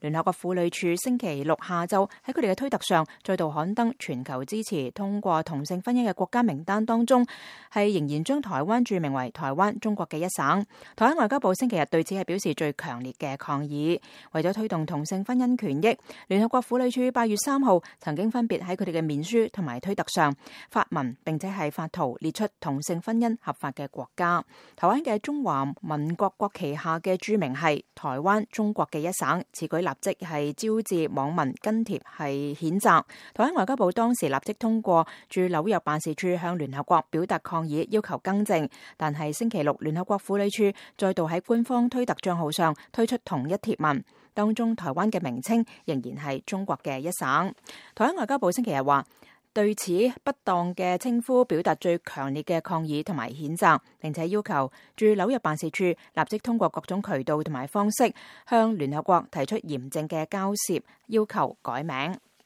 聯合國婦女處星期六下晝喺佢哋嘅推特上再度刊登全球支持通過同性婚姻嘅國家名單當中，係仍然將台灣註明為台灣中國嘅一省。台灣外交部星期日對此係表示最強烈嘅抗議。為咗推動同性婚姻權益，聯合國婦女處8月3號曾經分別喺佢哋嘅面書同埋推特上發文，並且係發圖列出同性婚姻合法嘅國家。台灣嘅中華民國國旗下嘅註明係台灣中國嘅一省，此舉立即係招致網民跟帖係譴責。台灣外交部當時立即通過駐紐約辦事處向聯合國表達抗議，要求更正。但係星期六，聯合國婦女處再度喺官方推特賬號上推出同一貼文，當中台灣嘅名稱仍然係中國嘅一省。台灣外交部星期日話，對此不當嘅稱呼表達最強烈嘅抗議同埋譴責，並且要求駐紐約辦事處立即通過各種渠道同埋方式向聯合國提出嚴正嘅交涉，要求改名。